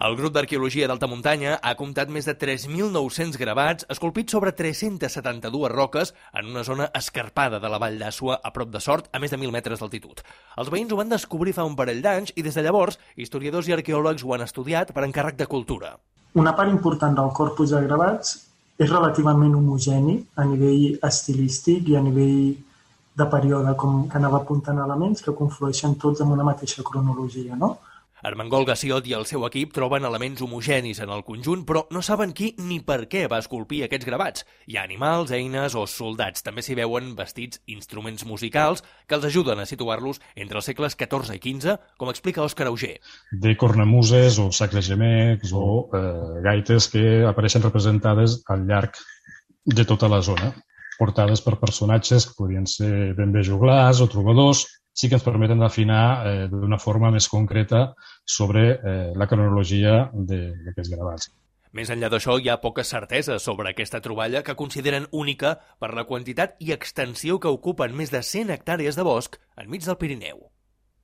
El grup d'arqueologia d'alta muntanya ha comptat més de 3.900 gravats esculpits sobre 372 roques en una zona escarpada de la Vall d'Àssua a prop de Sort, a més de 1.000 metres d'altitud. Els veïns ho van descobrir fa un parell d'anys i des de llavors historiadors i arqueòlegs ho han estudiat per encàrrec de cultura. Una part important del corpus de gravats és relativament homogeni a nivell estilístic i a nivell de període, com que anava apuntant elements que conflueixen tots en una mateixa cronologia, no? Armengol Gassiot i el seu equip troben elements homogenis en el conjunt, però no saben qui ni per què va esculpir aquests gravats. Hi ha animals, eines o soldats. També s'hi veuen vestits instruments musicals que els ajuden a situar-los entre els segles XIV i XV, com explica Òscar Auger. De cornamuses o sacres gemecs o gaites que apareixen representades al llarg de tota la zona, portades per personatges que podien ser ben bé joglars o trobadors, sí que ens permeten afinar d'una forma més concreta sobre la cronologia d'aquests gravats. Més enllà d'això, hi ha poques certeses sobre aquesta troballa que consideren única per la quantitat i extensió que ocupen més de 100 hectàrees de bosc enmig del Pirineu.